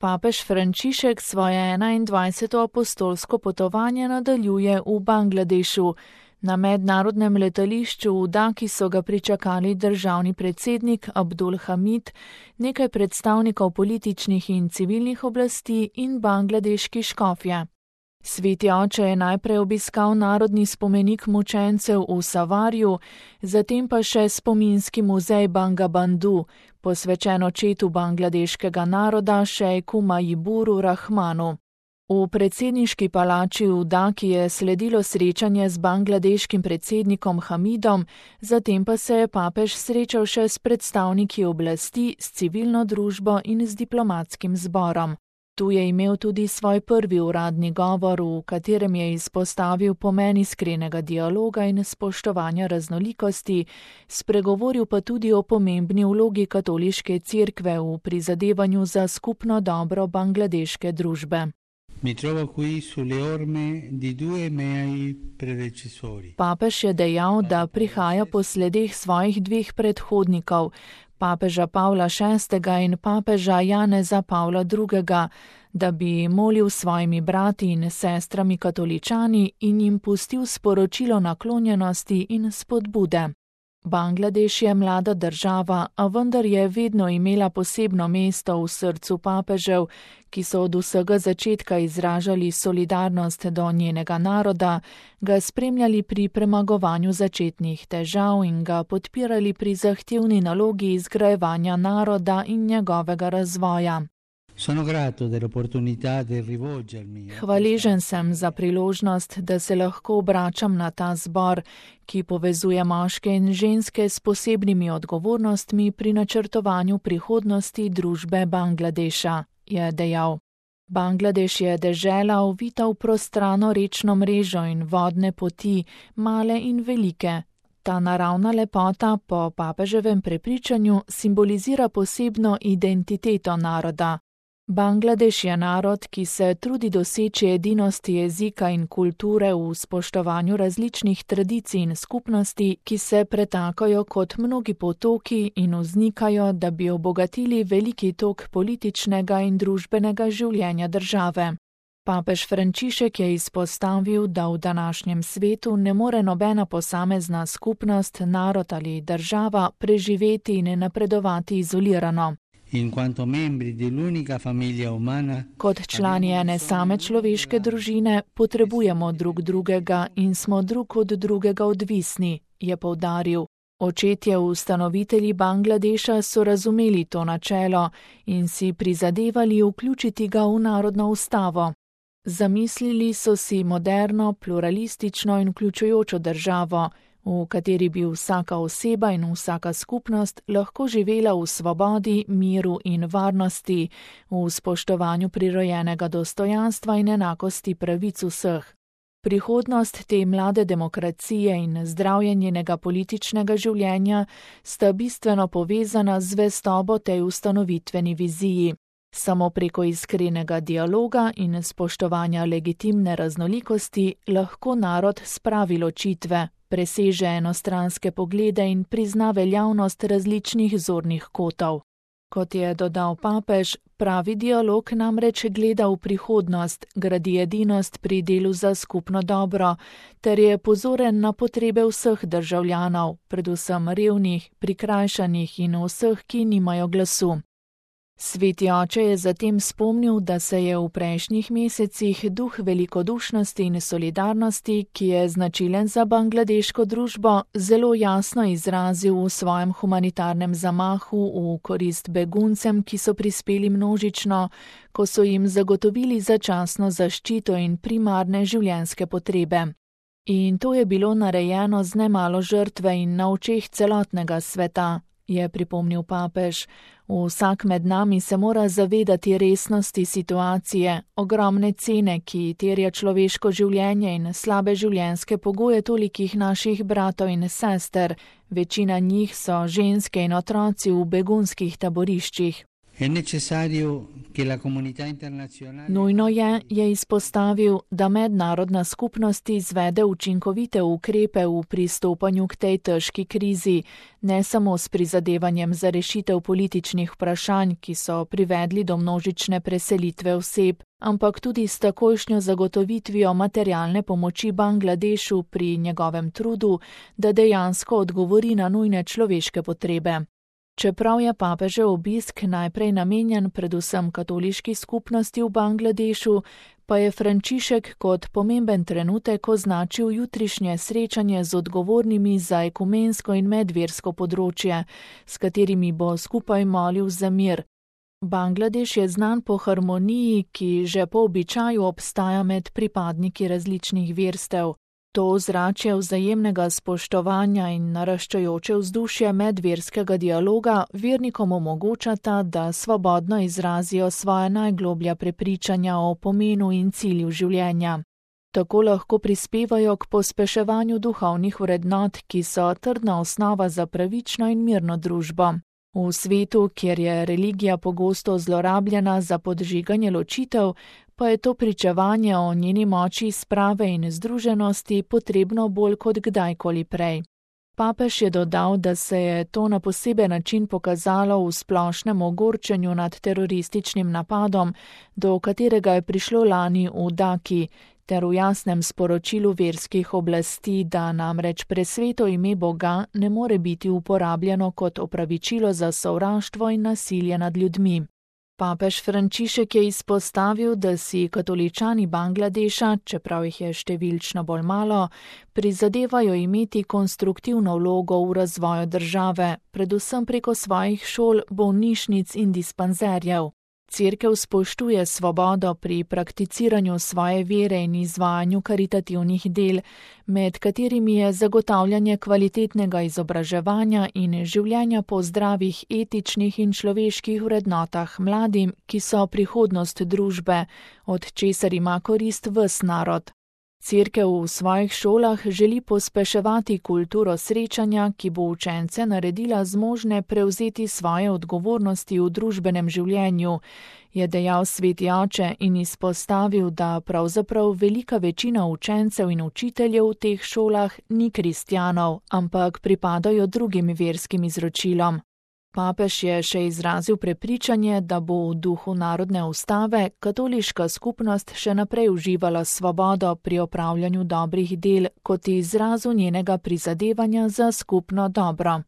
Papež Frančišek svoje 21. apostolsko potovanje nadaljuje v Bangladešu. Na mednarodnem letališču v Daki so ga pričakali državni predsednik Abdul Hamid, nekaj predstavnikov političnih in civilnih oblasti in bangladeški škofje. Sveti oče je najprej obiskal narodni spomenik mučencev v Savarju, zatem pa še spominski muzej Bangabandhu, posvečen očetu bangladeškega naroda šejku Majiburu Rahmanu. V predsedniški palači v Daki je sledilo srečanje z bangladeškim predsednikom Hamidom, zatem pa se je papež srečal še s predstavniki oblasti, s civilno družbo in z diplomatskim zborom. Tu je imel tudi svoj prvi uradni govor, v katerem je izpostavil pomen iskrenega dialoga in spoštovanja raznolikosti, spregovoril pa tudi o pomembni vlogi katoliške cerkve v prizadevanju za skupno dobro bangladeške družbe. Mi trovo qui sulle orme di due miei predecessori. Papež je dejal, da prihaja po sledeh svojih dveh predhodnikov, papeža Pavla VI. In papeža Janeza Pavla II., da bi molil svojimi brati in sestrami katoličani in jim pustil sporočilo naklonjenosti in spodbude. Bangladeš je mlada država, a vendar je vedno imela posebno mesto v srcu papežev, ki so od vsega začetka izražali solidarnost do njenega naroda, ga spremljali pri premagovanju začetnih težav in ga podpirali pri zahtevni nalogi izgrajevanja naroda in njegovega razvoja. Hvaležen sem za priložnost, da se lahko obračam na ta zbor, ki povezuje moške in ženske s posebnimi odgovornostmi pri načrtovanju prihodnosti družbe Bangladeša, je dejal. Bangladeš je dežela ovita v prostrano rečno mrežo in vodne poti, male in velike. Ta naravna lepota po papeževem prepričanju simbolizira posebno identiteto naroda. Bangladeš je narod, ki se trudi doseči edinost jezika in kulture v spoštovanju različnih tradicij in skupnosti, ki se pretakajo kot mnogi potoki in vznikajo, da bi obogatili veliki tok političnega in družbenega življenja države. Papež Frančišek je izpostavil, da v današnjem svetu ne more nobena posamezna skupnost, narod ali država preživeti in napredovati izolirano. Kot člani ene same človeške družine potrebujemo drug drugega in smo drug od drugega odvisni, je poudaril. Očetje ustanovitelji Bangladeša so razumeli to načelo in si prizadevali vključiti ga v narodno ustavo. Zamislili so si moderno, pluralistično in vključujočo državo, v kateri bi vsaka oseba in vsaka skupnost lahko živela v svobodi, miru in varnosti, v spoštovanju prirojenega dostojanstva in enakosti pravic vseh. Prihodnost te mlade demokracije in zdravje njenega političnega življenja sta bistveno povezana z zvestobo tej ustanovitveni viziji. Samo preko iskrenega dialoga in spoštovanja legitimne raznolikosti lahko narod spravi ločitve, preseže enostranske poglede in prizna veljavnost različnih zornih kotov. Kot je dodal papež, pravi dialog namreč gleda v prihodnost, gradi edinost pri delu za skupno dobro, ter je pozoren na potrebe vseh državljanov, predvsem revnih, prikrajšanih in vseh, ki nimajo glasu. Sveti oče je zatem spomnil, da se je v prejšnjih mesecih duh velikodušnosti in solidarnosti, ki je značilen za bangladeško družbo, zelo jasno izrazil v svojem humanitarnem zamahu v korist beguncem, ki so prispeli množično, ko so jim zagotovili začasno zaščito in primarne življenjske potrebe. In to je bilo narejeno z nemalo žrtve in na očeh celotnega sveta, je pripomnil papež. Vsak med nami se mora zavedati resnosti situacije, ogromne cene, ki terja človeško življenje in slabe življenjske pogoje tolikih naših bratov in sester. Večina njih so ženske in otroci v begunskih taboriščih. È necessario che la comunità internazionale Nujno je izpostavil, da mednarodna skupnost izvede učinkovite ukrepe v pristopanju k tej težki krizi, ne samo s prizadevanjem za rešitev političnih vprašanj, ki so privedli do množične preselitve oseb, ampak tudi s takojšnjo zagotovitvijo materialne pomoči Bangladešu pri njegovem trudu, da dejansko odgovori na nujne človeške potrebe. Čeprav je papežev obisk najprej namenjen predvsem katoliški skupnosti v Bangladešu, pa je Frančišek kot pomemben trenutek označil jutrišnje srečanje z odgovornimi za ekumensko in medversko področje, s katerimi bo skupaj molil za mir. Bangladeš je znan po harmoniji, ki že po običaju obstaja med pripadniki različnih verstev. To ozračje vzajemnega spoštovanja in naraščajoče vzdušje medverskega dialoga vernikom omogočata, da svobodno izrazijo svoje najgloblja prepričanja o pomenu in cilju življenja. Tako lahko prispevajo k pospeševanju duhovnih vrednot, ki so trdna osnova za pravično in mirno družbo. V svetu, kjer je religija pogosto zlorabljena za podžiganje ločitev, pa je to pričevanje o njeni moči sprave in združenosti potrebno bolj kot kdajkoli prej. Papež je dodal, da se je to na poseben način pokazalo v splošnem ogorčenju nad terorističnim napadom, do katerega je prišlo lani v Daki, ter v jasnem sporočilu verskih oblasti, da namreč presveto ime Boga ne more biti uporabljeno kot opravičilo za sovraštvo in nasilje nad ljudmi. Papež Frančišek je izpostavil, da si katoličani Bangladeša, čeprav jih je številčno bolj malo, prizadevajo imeti konstruktivno vlogo v razvoju države, predvsem preko svojih šol, bolnišnic in dispanzerjev. Cerkev spoštuje svobodo pri prakticiranju svoje vere in izvajanju karitativnih del, med katerimi je zagotavljanje kvalitetnega izobraževanja in življenja po zdravih etičnih in človeških vrednotah mladim, ki so prihodnost družbe, od česar ima korist ves narod. Cerkev v svojih šolah želi pospeševati kulturo srečanja, ki bo učence naredila zmožne prevzeti svoje odgovornosti v družbenem življenju, je dejal sveti oče in izpostavil, da pravzaprav velika večina učencev in učiteljev v teh šolah ni kristjanov, ampak pripadajo drugim verskim izročilom. Papež je še izrazil prepričanje, da bo v duhu narodne ustave katoliška skupnost še naprej uživala svobodo pri opravljanju dobrih del kot izrazu njenega prizadevanja za skupno dobro.